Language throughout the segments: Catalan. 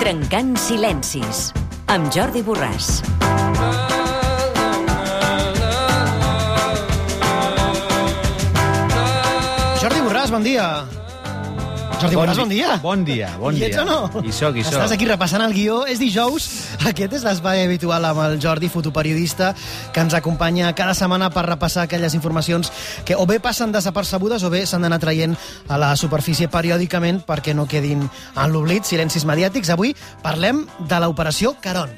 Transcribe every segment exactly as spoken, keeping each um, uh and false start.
Trencant silencis, amb Jordi Borràs. Jordi Borràs, bon dia. Jordi Bon Borràs, di- bon dia. Bon dia, bon Hi dia. ets o no? Hi soc, hi soc. Estàs aquí repassant el guió. És dijous. Aquest és l'espai habitual amb el Jordi, fotoperiodista, que ens acompanya cada setmana per repassar aquelles informacions que o bé passen desapercebudes o bé s'han d'anar traient a la superfície periòdicament perquè no quedin en l'oblit, silencis mediàtics. Avui parlem de l'operació Caron.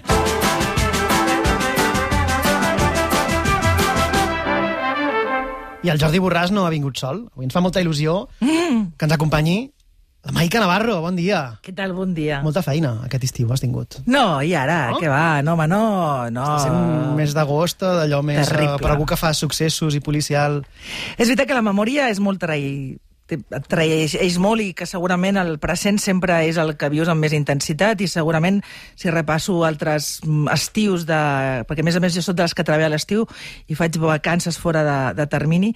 I el Jordi Borràs no ha vingut sol. Avui ens fa molta il·lusió mm. que ens acompanyi la Maica Navarro. Bon dia. Què tal? Bon dia. Molta feina aquest estiu has tingut. No, i ara? No? Què va? No, home, no. no. Està sent un mes d'agost, d'allò més eh, Terrible. per algú que fa successos i policial. És veritat que la memòria és molt traï... et traeix molt i que segurament el present sempre és el que vius amb més intensitat i segurament si repasso altres estius de... perquè a més a més jo soc de les que treballa a l'estiu i faig vacances fora de, de termini,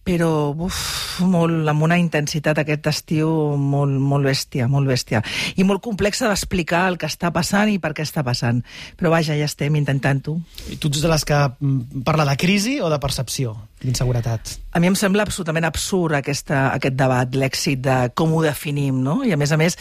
però uf, molt, amb una intensitat aquest estiu molt, molt bèstia, molt bèstia. I molt complexa d'explicar el que està passant i per què està passant. Però vaja, ja estem intentant-ho. I tu ets de les que mm, parla de crisi o de percepció d'inseguretat? A mi em sembla absolutament absurd aquesta, aquest debat, l'èxit de com ho definim, no? I a més a més,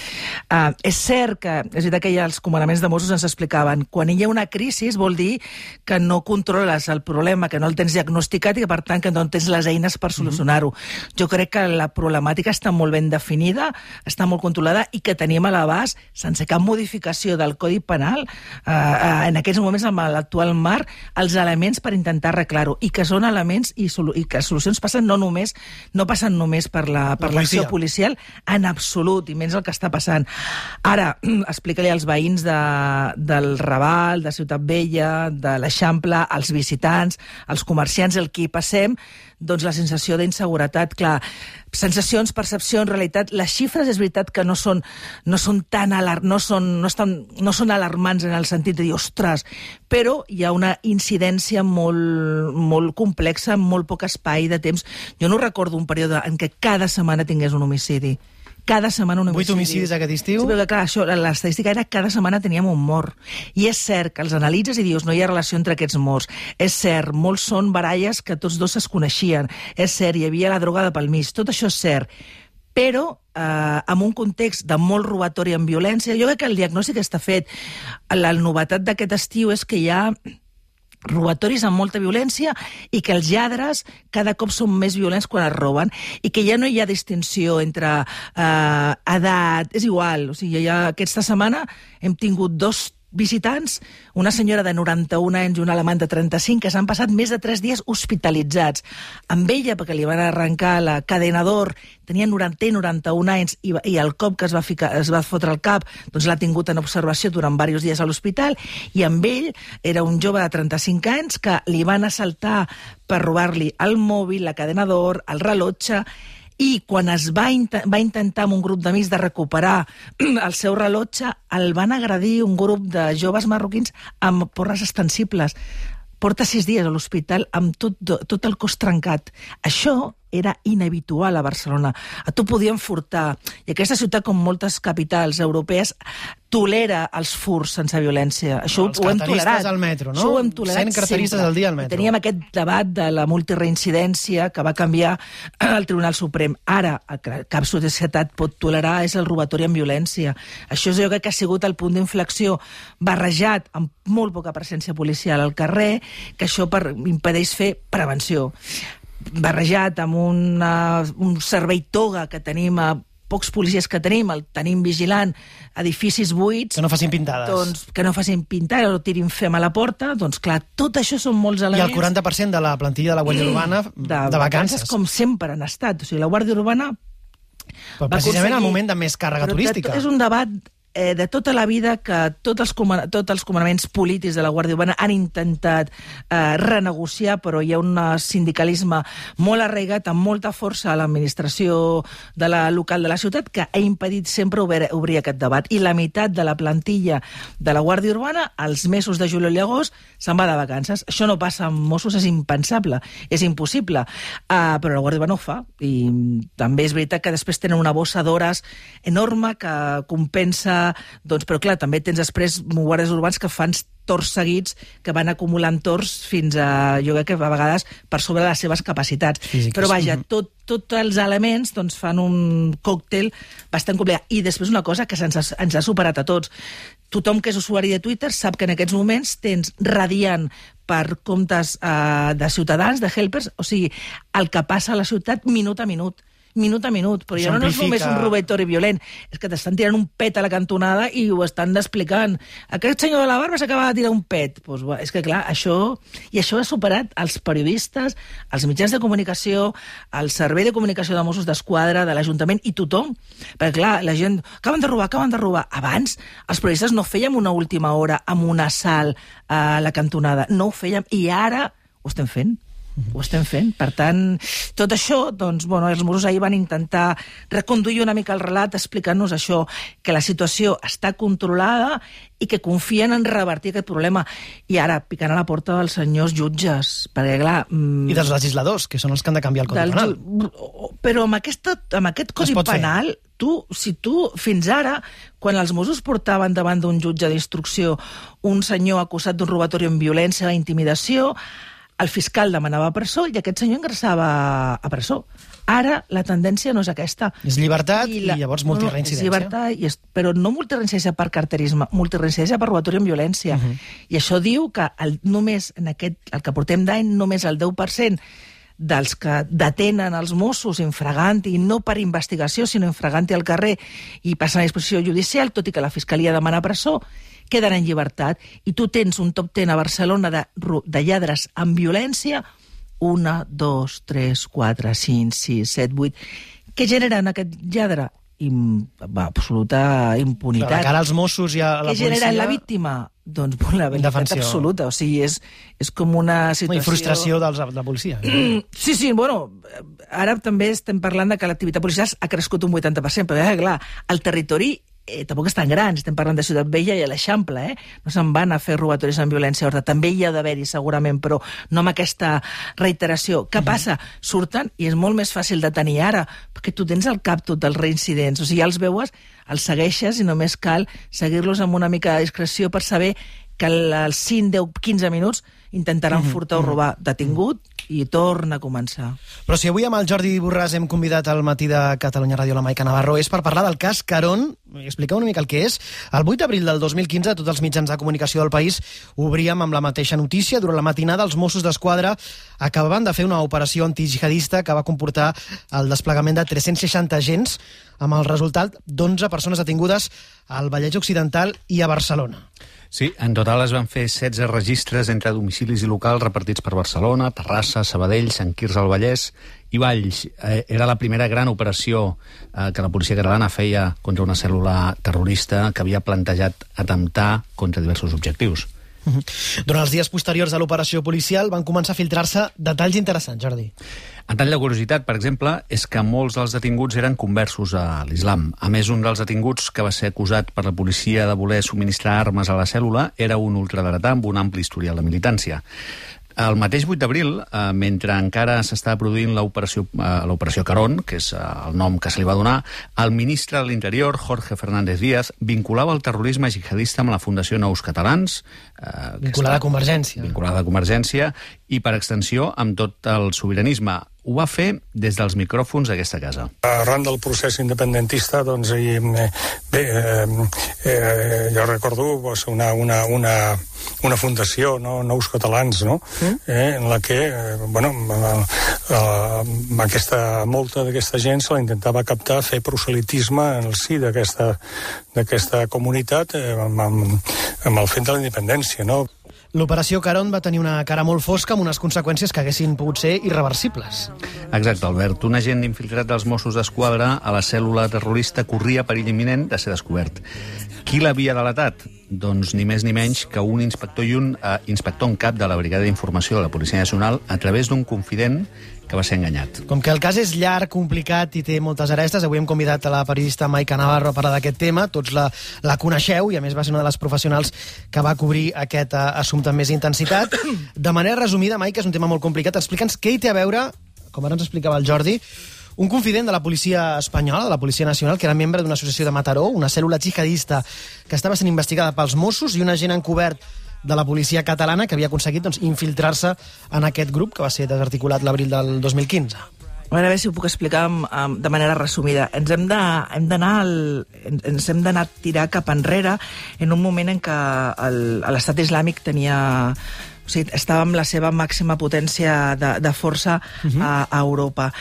eh, és cert que, és veritat que ja els comandaments de Mossos ens explicaven, quan hi ha una crisi vol dir que no controles el problema, que no el tens diagnosticat i que per tant que no tens les eines per solucionar-ho. Mm-hmm. Jo crec que la problemàtica està molt ben definida, està molt controlada i que tenim a l'abast, sense cap modificació del Codi Penal, eh, eh, en aquests moments amb l'actual marc, els elements per intentar arreglar-ho i que són elements i i que les solucions passen no només no passen només per la per l'acció policial en absolut, i menys el que està passant. Ara, explica-li als veïns de, del Raval, de Ciutat Vella, de l'Eixample, als visitants, als comerciants, el que hi passem, doncs la sensació d'inseguretat, clar, sensacions, percepcions, realitat, les xifres és veritat que no són, no són tan alar no són, no estan, no són alarmants en el sentit de dir, ostres, però hi ha una incidència molt, molt complexa, amb molt poc espai de temps. Jo no recordo un període en què cada setmana tingués un homicidi. Cada setmana un homicidi. Vuit homicidis aquest estiu? Sí, però clar, això, l'estadística era cada setmana teníem un mort. I és cert que els analitzes i dius no hi ha relació entre aquests morts. És cert, molts són baralles que tots dos es coneixien. És cert, hi havia la drogada pel mig. Tot això és cert. Però eh, en un context de molt robatori amb violència, jo crec que el diagnòstic està fet. La novetat d'aquest estiu és que hi ha robatoris amb molta violència i que els lladres cada cop són més violents quan es roben i que ja no hi ha distinció entre eh, edat, és igual, o sigui, ja aquesta setmana hem tingut dos visitants, una senyora de noranta-un anys i un alemany de trenta-cinc, que s'han passat més de tres dies hospitalitzats. Amb ella, perquè li van arrencar la cadena d'or, tenia noranta i noranta-un anys i, i el cop que es va, ficar, es va fotre al cap doncs l'ha tingut en observació durant diversos dies a l'hospital, i amb ell era un jove de trenta-cinc anys que li van assaltar per robar-li el mòbil, la cadena d'or, el rellotge, i quan es va, int va intentar amb un grup d'amics de recuperar el seu rellotge, el van agredir un grup de joves marroquins amb porres extensibles. Porta sis dies a l'hospital amb tot, tot el cos trencat. Això era inhabitual a Barcelona. A tu podien furtar. I aquesta ciutat, com moltes capitals europees, tolera els furs sense violència. Això els ho hem tolerat. Al metro, no? Això ho hem tolerat cent carteristes sempre. al dia al metro. Teníem aquest debat de la multireincidència que va canviar el Tribunal Suprem. Ara, el que cap societat pot tolerar és el robatori amb violència. Això jo crec que ha sigut el punt d'inflexió barrejat amb molt poca presència policial al carrer, que això per, impedeix fer prevenció. Barrejat amb una, un servei toga que tenim a pocs policies que tenim, el tenim vigilant edificis buits... Que no facin pintades. Doncs, que no facin pintades o tirin fem a la porta, doncs clar, tot això són molts elements... I el quaranta per cent de la plantilla de la Guàrdia Urbana de, de vacances. Com sempre han estat. O sigui, la Guàrdia Urbana... Però precisament al moment de més càrrega turística. És un debat eh, de tota la vida que tots els, tots els comandaments polítics de la Guàrdia Urbana han intentat eh, renegociar, però hi ha un sindicalisme molt arraigat, amb molta força a l'administració de la local de la ciutat, que ha impedit sempre obrir, obrir aquest debat. I la meitat de la plantilla de la Guàrdia Urbana, als mesos de juliol i agost, se'n va de vacances. Això no passa amb Mossos, és impensable, és impossible. Uh, però la Guàrdia Urbana ho fa. I també és veritat que després tenen una bossa d'hores enorme que compensa Doncs, però clar, també tens després guàrdies urbans que fan torns seguits, que van acumulant torns fins a, jo crec que a vegades per sobre de les seves capacitats. Físiques. Però vaja, tot, tots els elements doncs, fan un còctel bastant complicat. I després una cosa que ens ha, ens ha superat a tots. Tothom que és usuari de Twitter sap que en aquests moments tens radiant per comptes eh, de ciutadans, de helpers, o sigui, el que passa a la ciutat minut a minut. minut a minut, però ja no és només un robatori violent, és que t'estan tirant un pet a la cantonada i ho estan explicant. Aquest senyor de la barba s'acaba de tirar un pet. Pues, és que clar, això... I això ha superat els periodistes, els mitjans de comunicació, el servei de comunicació de Mossos d'Esquadra, de l'Ajuntament i tothom. Perquè clar, la gent... Acaben de robar, acaben de robar. Abans, els periodistes no fèiem una última hora amb un assalt a la cantonada. No ho fèiem. I ara ho estem fent. Ho estem fent. Per tant, tot això, doncs, bueno, els Mossos ahir van intentar reconduir una mica el relat explicant-nos això, que la situació està controlada i que confien en revertir aquest problema. I ara, picant a la porta dels senyors jutges, perquè clar... Mmm, I dels legisladors, que són els que han de canviar el Codi del, Penal. Però amb, aquesta, amb aquest Codi Penal, tu, si tu, fins ara, quan els Mossos portaven davant d'un jutge d'instrucció un senyor acusat d'un robatori amb violència o intimidació, el fiscal demanava presó i aquest senyor ingressava a presó. Ara la tendència no és aquesta. És llibertat i, la... i llavors multireincidència. No, és llibertat, i és... però no multireincidència per carterisme, multireincidència per robatori amb violència. Uh -huh. I això diu que el, només en aquest, el que portem d'any, només el deu per cent dels que detenen els Mossos infraganti, no per investigació, sinó infraganti al carrer i passen a disposició judicial, tot i que la Fiscalia demana presó, queden en llibertat. I tu tens un top ten a Barcelona de, de lladres amb violència, una, dos, tres, quatre, cinc, sis, set, vuit. Què generen aquest lladre? Im, va, absoluta impunitat. Però de cara als Mossos i a la policia... Què genera la víctima? Doncs vulnerabilitat absoluta. O sigui, és, és com una situació... I frustració dels, de la policia. Sí, sí, bueno, ara també estem parlant de que l'activitat policial ha crescut un vuitanta per cent, però, eh, clar, el territori eh, tampoc és tan gran, estem parlant de Ciutat Vella i a l'Eixample, eh? No se'n van a fer robatoris amb violència horta. També hi ha d'haver-hi, segurament, però no amb aquesta reiteració. Què passa? Surten i és molt més fàcil de tenir ara, perquè tu tens al cap tot dels reincidents. O sigui, ja els veues, els segueixes i només cal seguir-los amb una mica de discreció per saber que als cinc, deu, quinze minuts intentaran uh -huh, furtar o robar. Detingut i torna a començar. Però si avui amb el Jordi Borràs hem convidat al matí de Catalunya Ràdio la Maica Navarro és per parlar del cas Carón. Expliqueu una mica el que és. El vuit d'abril del dos mil quinze tots els mitjans de comunicació del país obríem amb la mateixa notícia. Durant la matinada els Mossos d'Esquadra acabaven de fer una operació antijihadista que va comportar el desplegament de tres-cents seixanta agents amb el resultat d'onze persones detingudes al Vallès Occidental i a Barcelona. Sí, en total es van fer setze registres entre domicilis i locals repartits per Barcelona, Terrassa, Sabadell, Sant Quirze al Vallès i Valls. Eh, era la primera gran operació eh, que la policia catalana feia contra una cèl·lula terrorista que havia plantejat atemptar contra diversos objectius. Uh-huh. Durant els dies posteriors a l'operació policial van començar a filtrar-se detalls interessants, Jordi. En tall de curiositat, per exemple, és que molts dels detinguts eren conversos a l'islam. A més, un dels detinguts que va ser acusat per la policia de voler subministrar armes a la cèl·lula era un ultradretà amb un ampli historial de militància. El mateix vuit d'abril, eh, mentre encara s'estava produint l'operació eh, l'operació Carón, que és eh, el nom que se li va donar, el ministre de l'Interior, Jorge Fernández Díaz, vinculava el terrorisme jihadista amb la Fundació Nous Catalans, eh, vinculada a Convergència. Vinculada a Convergència, i per extensió amb tot el sobiranisme. Ho va fer des dels micròfons d'aquesta casa. Arran del procés independentista, doncs, i, bé, eh, eh, jo recordo doncs, una, una, una, una fundació, no? Nous Catalans, no? Mm. Eh, en la que, eh, bueno, amb aquesta molta d'aquesta gent se la intentava captar, fer proselitisme en el si d'aquesta d'aquesta comunitat eh, amb, amb, amb el fet de la independència, no? L'operació Carón va tenir una cara molt fosca amb unes conseqüències que haguessin pogut ser irreversibles. Exacte, Albert. Un agent infiltrat dels Mossos d'Esquadra a la cèl·lula terrorista corria perill imminent de ser descobert. Qui l'havia delatat? Doncs ni més ni menys que un inspector i un eh, inspector en cap de la Brigada d'Informació de la Policia Nacional a través d'un confident que va ser enganyat. Com que el cas és llarg, complicat i té moltes arestes, avui hem convidat a la periodista Maica Navarro a parlar d'aquest tema. Tots la, la coneixeu i, a més, va ser una de les professionals que va cobrir aquest uh, assumpte amb més intensitat. De manera resumida, Maica, és un tema molt complicat. Explica'ns què hi té a veure, com ara ens explicava el Jordi, un confident de la policia espanyola, de la Policia Nacional, que era membre d'una associació de Mataró, una cèl·lula jihadista que estava sent investigada pels Mossos, i un agent encobert de la policia catalana que havia aconseguit doncs, infiltrar-se en aquest grup que va ser desarticulat l'abril del dos mil quinze. A veure si ho puc explicar de manera resumida. Ens hem d'anar ens hem d'anar a tirar cap enrere en un moment en què l'estat islàmic tenia... O sigui, estava amb la seva màxima potència de, de força uh-huh. a, a Europa.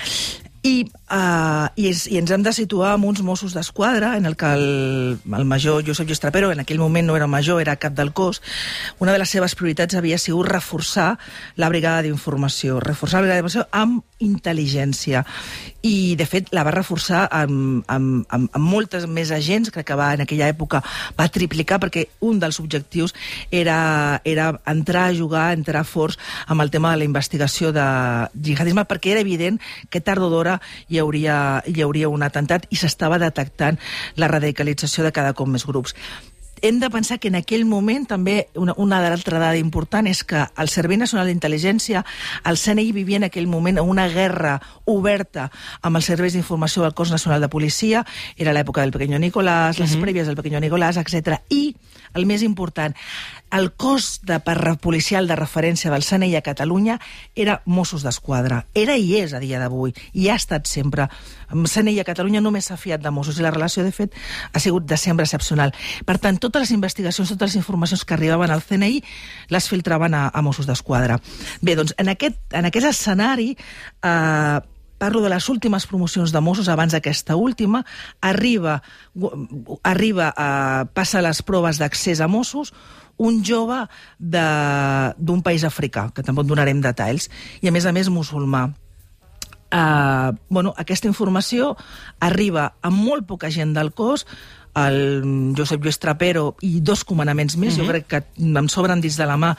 I, uh, i, és, i ens hem de situar amb uns Mossos d'Esquadra en el que el, el major Josep Lluís Trapero, en aquell moment no era major, era cap del cos. Una de les seves prioritats havia sigut reforçar la brigada d'informació, reforçar la brigada d'informació amb intel·ligència. I, de fet, la va reforçar amb, amb, amb, amb moltes més agents, crec que va, en aquella època va triplicar, perquè un dels objectius era, era entrar a jugar, entrar forts amb el tema de la investigació de jihadisme, perquè era evident que tard o d'hora hi hauria, hi hauria un atemptat i s'estava detectant la radicalització de cada cop més grups. Hem de pensar que en aquell moment també una, una altra dada important és que el Servei Nacional d'Intel·ligència, el C N I, vivia en aquell moment una guerra oberta amb els serveis d'informació del Cos Nacional de Policia, era l'època del Pequeño Nicolás, les uh-huh. prèvies del Pequeño Nicolás, etcètera. I, el més important, el cos de policial de referència del C N I a Catalunya era Mossos d'Esquadra. Era i és a dia d'avui, i ha estat sempre. El C N I a Catalunya només s'ha fiat de Mossos, i la relació, de fet, ha sigut de sempre excepcional. Per tant, totes les investigacions, totes les informacions que arribaven al C N I les filtraven a, a Mossos d'Esquadra. Bé, doncs, en aquest, en aquest escenari... Eh, parlo de les últimes promocions de Mossos abans d'aquesta última, arriba, arriba a, passa les proves d'accés a Mossos un jove d'un país africà, que tampoc donarem detalls, i a més a més musulmà. Uh, bueno, aquesta informació arriba a molt poca gent del cos, el Josep Lluís Trapero i dos comandaments més, uh-huh. jo crec que em sobren dins de la mà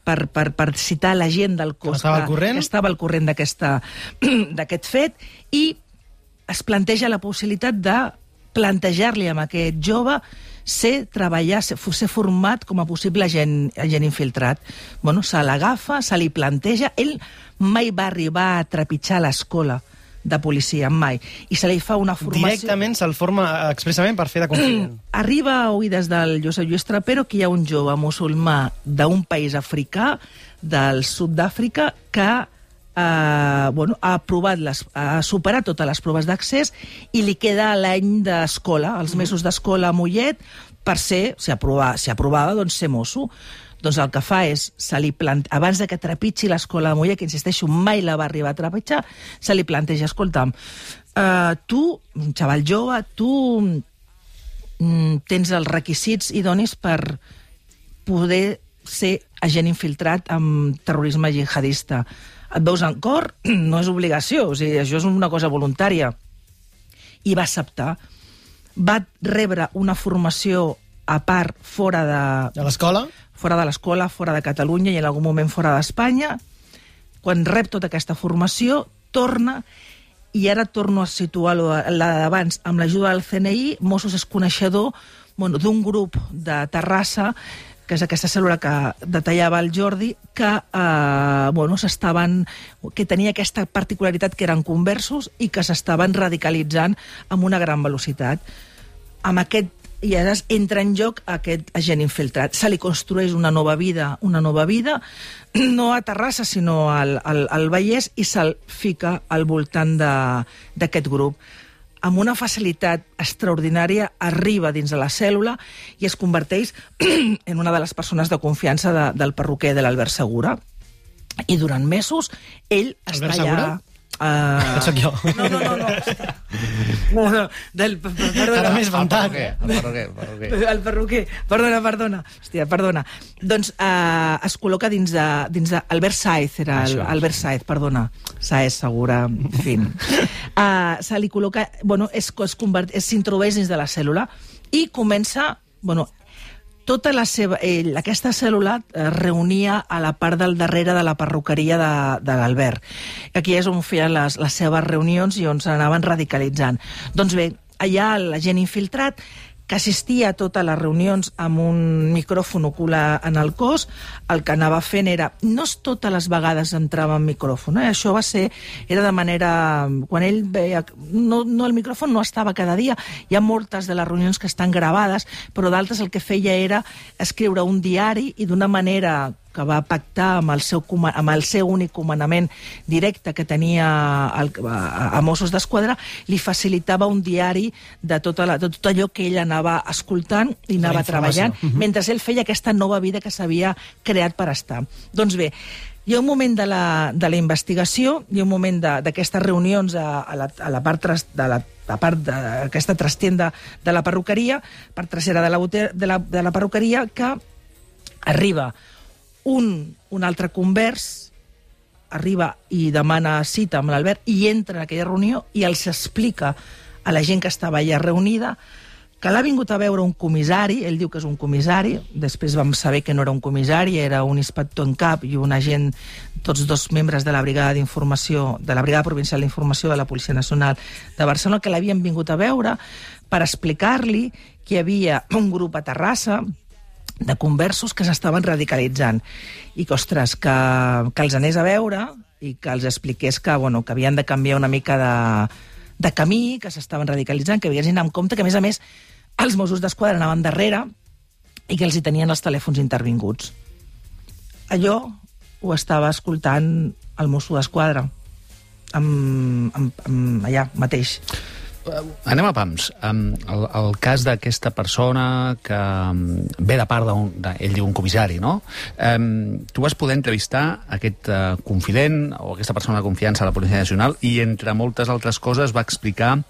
per, per, per citar la gent del cos que, que, que estava al corrent d'aquest fet, i es planteja la possibilitat de plantejar-li amb aquest jove ser treballar, ser, ser format com a possible agent, agent infiltrat. Bueno, se l'agafa, se li planteja, ell mai va arribar a trepitjar l'escola de policia, mai. I se li fa una formació... Directament se'l forma expressament per fer de confident. Arriba a oïdes del Josep Lluís Trapero que hi ha un jove musulmà d'un país africà, del sud d'Àfrica, que eh, bueno, ha, aprovat les, ha superat totes les proves d'accés i li queda l'any d'escola, els mesos d'escola a Mollet, per ser, si aprovava, si aprovava, doncs ser mosso. Doncs el que fa és, se li plante... abans de que trepitgi l'escola de Mollet, que insisteixo, mai la va arribar a trepitjar, se li planteja, escolta'm, uh, tu, un xaval jove, tu mm, tens els requisits idonis per poder ser agent infiltrat amb terrorisme jihadista. Et veus en cor? No és obligació, o sigui, això és una cosa voluntària. I va acceptar. Va rebre una formació a part fora de... De l'escola? Fora de l'escola, fora de Catalunya i en algun moment fora d'Espanya. Quan rep tota aquesta formació, torna, i ara torno a situar la d'abans, amb l'ajuda del C N I, Mossos és coneixedor bueno, d'un grup de Terrassa, que és aquesta cèl·lula que detallava el Jordi, que, eh, bueno, s'estaven, que tenia aquesta particularitat que eren conversos i que s'estaven radicalitzant amb una gran velocitat. Amb aquest i ara entra en joc aquest agent infiltrat. Se li construeix una nova vida, una nova vida, no a Terrassa, sinó al, al, al Vallès, i se'l fica al voltant d'aquest grup. Amb una facilitat extraordinària arriba dins de la cèl·lula i es converteix en una de les persones de confiança de, del perruquer de l'Albert Segura. I durant mesos ell Albert està Segura? allà... Uh... Soc jo. No, no, no. no. no, no. Del, perdona. Ara m'he espantat. El perruquer, el perruquer. El perruquer. Perdona, perdona. Hòstia, perdona. Doncs uh, es col·loca dins de... Dins de Albert Saez, era el, Albert Saez, perdona. Saez, Segura, en fi. Uh, se li col·loca... Bueno, es, es convert, s'introdueix dins de la cèl·lula i comença... Bueno, tota la seva... Ell, aquesta cèl·lula es reunia a la part del darrere de la perruqueria de, de l'Albert. Aquí és on feien les, les seves reunions i on s'anaven radicalitzant. Doncs bé, allà l'agent infiltrat que assistia a totes les reunions amb un micròfon ocular en el cos. El que anava fent era... No totes les vegades entrava en micròfon, eh? Això va ser... Era de manera... Quan ell veia... No, no, el micròfon no estava cada dia. Hi ha moltes de les reunions que estan gravades, però d'altres el que feia era escriure un diari i d'una manera que va pactar amb el seu, amb el seu únic comandament directe que tenia el, a, a Mossos d'Esquadra, li facilitava un diari de tot, la, de tot allò que ell anava escoltant i anava treballant, uh-huh. mentre ell feia aquesta nova vida que s'havia creat per estar. Doncs bé, hi ha un moment de la, de la investigació, hi ha un moment d'aquestes reunions a, a, la, a la part tras, de la a part d'aquesta trastienda de la perruqueria, part trasera de la, de la, de la perruqueria, que arriba un, un altre convers, arriba i demana cita amb l'Albert i entra en aquella reunió i els explica a la gent que estava allà reunida que l'ha vingut a veure un comissari, ell diu que és un comissari, després vam saber que no era un comissari, era un inspector en cap i un agent, tots dos membres de la brigada d'informació, de la brigada provincial d'informació de la Policia Nacional de Barcelona, que l'havien vingut a veure per explicar-li que hi havia un grup a Terrassa de conversos que s'estaven radicalitzant i que, ostres, que, que els anés a veure i que els expliqués que, bueno, que havien de canviar una mica de, de camí, que s'estaven radicalitzant, que havien d'anar amb compte, que a més a més els Mossos d'Esquadra anaven darrere i que els hi tenien els telèfons intervinguts. Allò ho estava escoltant el Mosso d'Esquadra amb, amb, amb, allà mateix. Anem a pams. Um, el, el cas d'aquesta persona que um, ve de part d'un... Ell diu un comissari, no? Um, tu vas poder entrevistar aquest uh, confident o aquesta persona de confiança a la Policia Nacional i, entre moltes altres coses, va explicar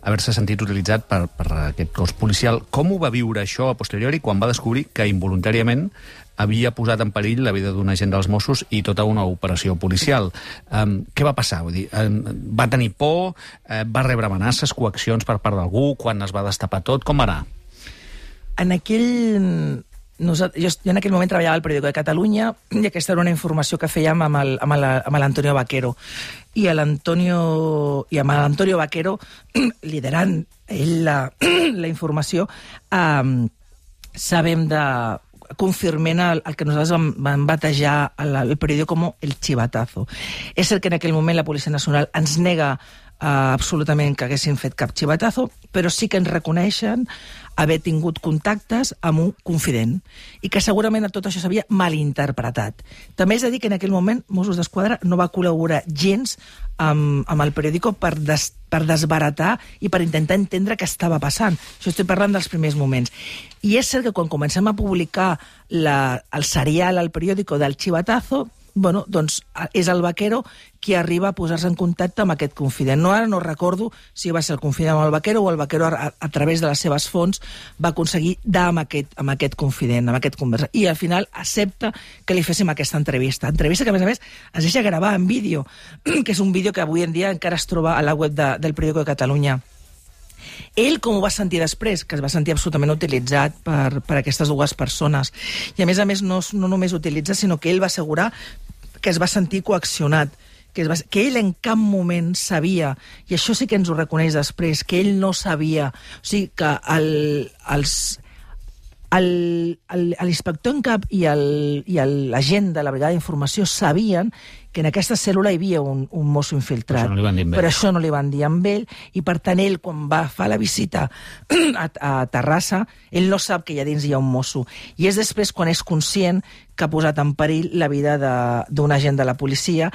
haver-se sentit utilitzat per, per aquest cos policial. Com ho va viure això a posteriori quan va descobrir que involuntàriament havia posat en perill la vida d'un agent dels Mossos i tota una operació policial? Um, què va passar? Vull dir, um, va tenir por? Uh, va rebre amenaces, coaccions per part d'algú? Quan es va destapar tot? Com va anar? En aquell... Nosaltres, jo, jo en aquell moment treballava al Periódico de Catalunya i aquesta era una informació que fèiem amb el, amb el, amb l'Antonio Vaquero. I l'Antonio i amb l'Antonio Vaquero, liderant ell la, la informació, eh, sabem de... confirment el, el que nosaltres vam, vam batejar el, el periòdico com el chivatazo. És cert que en aquell moment la Policia Nacional ens nega uh, absolutament que haguessin fet cap chivatazo, però sí que ens reconeixen haver tingut contactes amb un confident i que segurament tot això s'havia malinterpretat. També és a dir que en aquell moment Mossos d'Esquadra no va col·laborar gens amb, amb el periòdico per, des, per desbaratar i per intentar entendre què estava passant. Això estic parlant dels primers moments. I és cert que quan comencem a publicar la, el serial al periòdico del chivatazo, bueno, doncs és el Vaquero qui arriba a posar-se en contacte amb aquest confident. No, ara no recordo si va ser el confident amb el Vaquero o el Vaquero a, a través de les seves fonts va aconseguir dar amb aquest, amb aquest confident, amb aquest conversa. I al final accepta que li féssim aquesta entrevista. Entrevista que, a més a més, es deixa gravar en vídeo, que és un vídeo que avui en dia encara es troba a la web de, del Periódico de Catalunya. Ell com ho va sentir després? Que es va sentir absolutament utilitzat per, per aquestes dues persones. I a més a més no, no només utilitza, sinó que ell va assegurar que es va sentir coaccionat, que, es va, que ell en cap moment sabia, i això sí que ens ho reconeix després, que ell no sabia, o sigui que el, els... l'inspector en cap i l'agent de la brigada d'informació sabien que en aquesta cèl·lula hi havia un, un mosso infiltrat. Però això, no però això no li van dir amb ell, i per tant ell, quan va fer la visita a, a Terrassa, ell no sap que allà dins hi ha un mosso. I és després quan és conscient que ha posat en perill la vida d'un agent de la policia,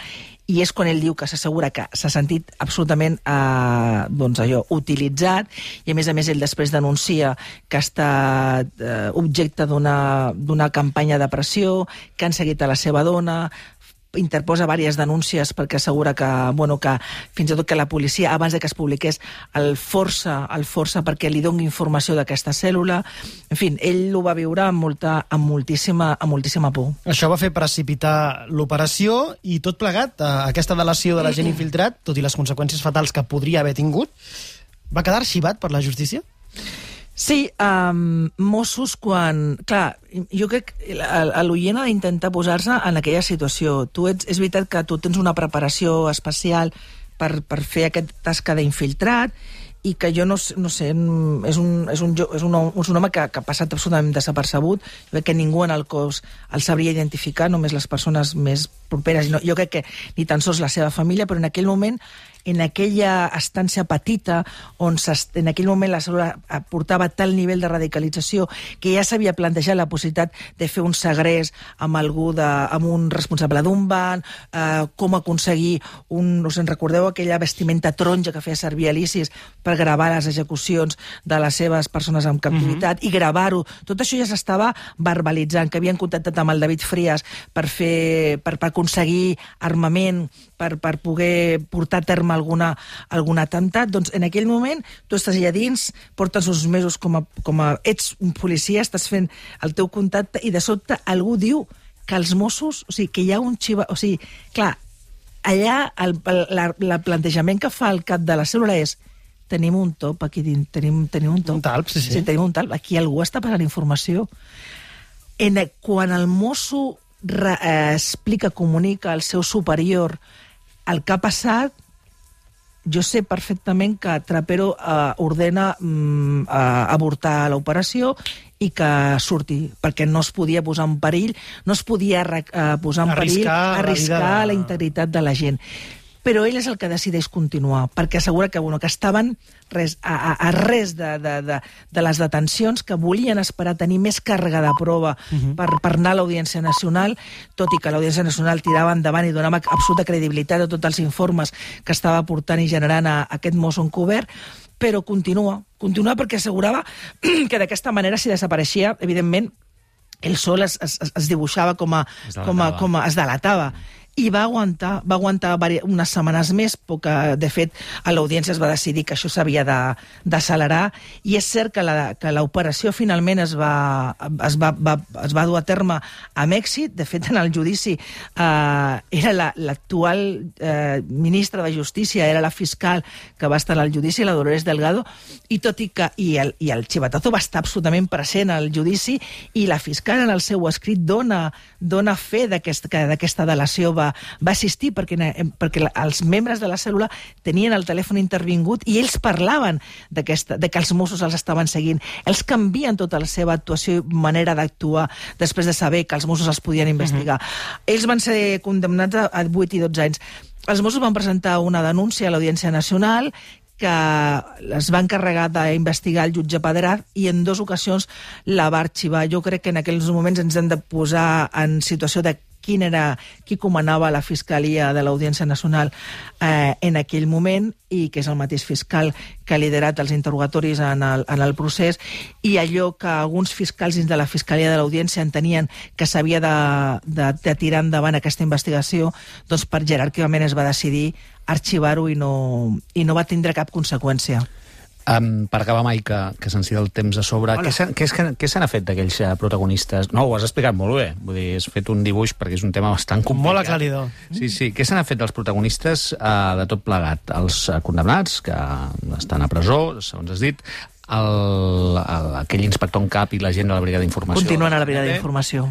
i és quan ell diu que s'assegura que s'ha sentit absolutament eh, doncs allò, utilitzat, i a més a més ell després denuncia que ha estat eh, objecte d'una campanya de pressió, que han seguit a la seva dona, interposa diverses denúncies perquè assegura que, bueno, que fins i tot que la policia, abans de que es publiqués, el força, el força perquè li doni informació d'aquesta cèl·lula. En fi, ell ho va viure amb, molta, amb, moltíssima, amb moltíssima por. Això va fer precipitar l'operació i tot plegat, aquesta delació de l'agent infiltrat, tot i les conseqüències fatals que podria haver tingut, va quedar arxivat per la justícia? Sí, um, Mossos quan... Clar, jo crec que l'oient ha d'intentar posar-se en aquella situació. Tu ets, és veritat que tu tens una preparació especial per, per fer aquesta tasca d'infiltrat i que jo no, no sé, és un, és un, és un, és un home que, que ha passat absolutament desapercebut. Jo crec que ningú en el cos el sabria identificar, només les persones més properes. Jo crec que ni tan sols la seva família, però en aquell moment, en aquella estància petita, on en aquell moment la cèl·lula portava tal nivell de radicalització que ja s'havia plantejat la possibilitat de fer un segrest amb algú de, amb un responsable d'un banc, eh, com aconseguir un, us en recordeu aquella vestimenta taronja que feia servir Alicis per gravar les execucions de les seves persones en captivitat, uh-huh. i gravar-ho. Tot això ja s'estava verbalitzant, que havien contactat amb el David Frías per fer, per, per aconseguir armament, per, per poder portar a terme alguna, algun atemptat. Doncs en aquell moment tu estàs allà dins, portes uns mesos com a, com a ets un policia, estàs fent el teu contacte i de sobte algú diu que els Mossos, o sigui, que hi ha un xiva... O sigui, clar, allà el, el, el plantejament que fa el cap de la cèl·lula és tenim un top aquí dins, tenim, tenim un top. Un talp, sí, sí. Sí, tenim un talp. Aquí algú està passant informació. En, quan el mosso re, eh, explica, comunica al seu superior el que ha passat, jo sé perfectament que Trapero eh, ordena mm, eh, avortar l'operació i que surti, perquè no es podia posar en perill, no es podia eh, posar en perill, arriscar, arriscar la, de... la integritat de la gent. Però ell és el que decideix continuar, perquè assegura que, bueno, que estaven res, a, a, a res de, de, de, de les detencions, que volien esperar tenir més càrrega de prova uh-huh. per, per anar a l'Audiència Nacional, tot i que l'Audiència Nacional tirava endavant i donava absoluta credibilitat a tots els informes que estava portant i generant a, a aquest mosso encobert, però continua, continua perquè assegurava que d'aquesta manera, si desapareixia, evidentment, el sol es, es, es dibuixava com a, com a, com a es delatava. I va aguantar, va aguantar unes setmanes més, perquè, de fet, a l'audiència es va decidir que això s'havia d'accelerar, i és cert que l'operació finalment es va, es, va, va, es va dur a terme amb èxit. De fet, en el judici eh, era l'actual la, eh, ministra de Justícia, era la fiscal que va estar al judici, la Dolores Delgado, i tot i que i el, i el xivatazo va estar absolutament present al judici, i la fiscal en el seu escrit dona, dona fe d'aquesta d'aquesta delació va, va assistir, perquè, perquè els membres de la cèl·lula tenien el telèfon intervingut i ells parlaven de que els Mossos els estaven seguint. Ells canvien tota la seva actuació i manera d'actuar després de saber que els Mossos els podien investigar. Uh-huh. Ells van ser condemnats a vuit i dotze anys. Els Mossos van presentar una denúncia a l'Audiència Nacional que es va encarregar d'investigar el jutge Pedret i en dues ocasions la va arxivar. Jo crec que en aquells moments ens hem de posar en situació de quin era, qui comandava la Fiscalia de l'Audiència Nacional eh, en aquell moment, i que és el mateix fiscal que ha liderat els interrogatoris en el, en el procés, i allò que alguns fiscals dins de la Fiscalia de l'Audiència entenien que s'havia de, de, de tirar endavant aquesta investigació, doncs per jeràrquicament es va decidir arxivar-ho i no, i no va tindre cap conseqüència. Um, per acabar, mai, que, que se'ns tira el temps a sobre, què se, què, què se n'ha fet d'aquells uh, protagonistes? No, ho has explicat molt bé, vull dir, has fet un dibuix perquè és un tema bastant complicat. Molt aclaridor. Sí, sí. Què se n'ha fet dels protagonistes uh, de tot plegat? Els uh, condemnats, que estan a presó, segons has dit, el, el, aquell inspector en cap i la gent de la Brigada d'Informació. Continuen a la Brigada d'Informació.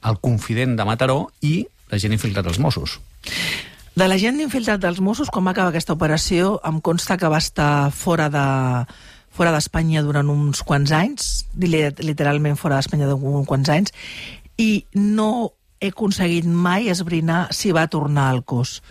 El confident de Mataró i la gent infiltrat als Mossos. De la gent infiltrat dels Mossos, quan va acabar aquesta operació, em consta que va estar fora de fora d'Espanya durant uns quants anys, literalment fora d'Espanya durant uns quants anys, i no he aconseguit mai esbrinar si va tornar al cos.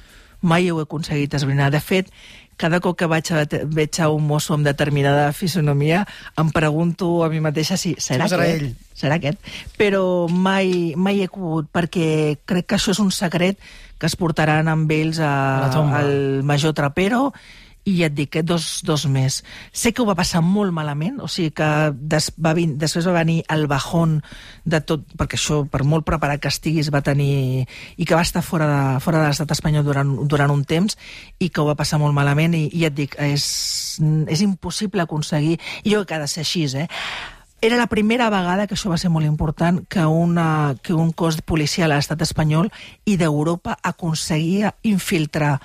Mai ho he aconseguit esbrinar. De fet, cada cop que vaig a, veig a un mosso amb determinada fisonomia, em pregunto a mi mateixa si serà sí, aquest? Ell. Serà aquest? Però mai, mai he pogut, perquè crec que això és un secret que es portaran amb ells a, al major Trapero, i ja et dic, eh, dos, dos més. Sé que ho va passar molt malament, o sigui que des, va vin, després va venir el bajón de tot, perquè això, per molt preparat que estiguis, va tenir... i que va estar fora de, fora de l'estat espanyol durant, durant un temps, i que ho va passar molt malament, i, i ja et dic, és, és impossible aconseguir... I jo crec que ha de ser així, eh? Era la primera vegada, que això va ser molt important, que, una, que un cos policial a l'estat espanyol i d'Europa aconseguia infiltrar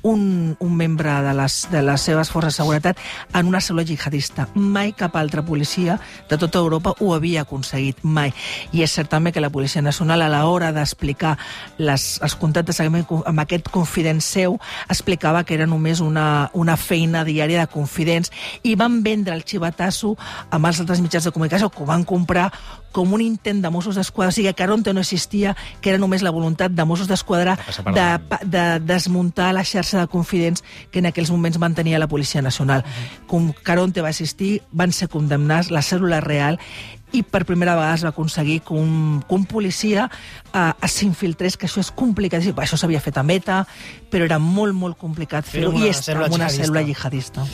un, un membre de les, de les seves forces de seguretat en una cèl·lula jihadista. Mai cap altra policia de tota Europa ho havia aconseguit, mai. I és cert també que la Policia Nacional, a l'hora d'explicar les, els contactes amb aquest confident seu, explicava que era només una, una feina diària de confidents, i van vendre el xivatasso amb els altres mitjans de comunicació, que ho van comprar com un intent de Mossos d'Esquadra, o sigui que Caronte no existia, que era només la voluntat de Mossos d'Esquadra de, de desmuntar la xarxa de confidents que en aquells moments mantenia la Policia Nacional. Com Caronte va existir, van ser condemnats, la cèl·lula real, i per primera vegada es va aconseguir que un, que un policia eh, s'infiltrés, que això és complicat. Això s'havia fet a Meta, però era molt, molt complicat fer-ho, i és amb una cèl·lula jihadista.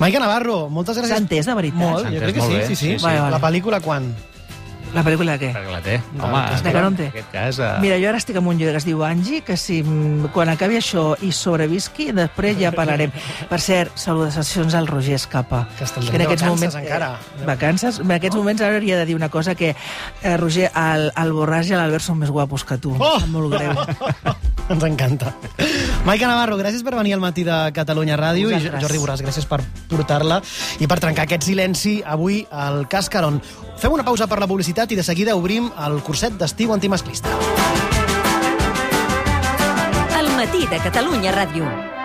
Maica Navarro, moltes gràcies. S'ha entès, de veritat? Molt, jo crec que sí, sí, sí. Vale, vale. La pel·lícula quan? La pel·lícula de què? Perquè la té. Home, de Caronte. En aquest cas... Uh... Mira, jo ara estic amb un llibre que es diu Angie, que si quan acabi això i sobrevisqui, després ja parlarem. Per cert, salutacions al Roger Escapa. Que estan de vacances moments, encara. Eh, vacances? En aquests moments ara hauria de dir una cosa, que eh, Roger, el, el Borràs i l'Albert són més guapos que tu. Oh! Em molt greu. Ens encanta. Maica Navarro, gràcies per venir al matí de Catalunya Ràdio. I Jordi Borràs, gràcies per portar-la i per trencar aquest silenci avui al Cas Caron. Fem una pausa per la publicitat i de seguida obrim el curset d'estiu antimasclista. El matí de Catalunya Ràdio.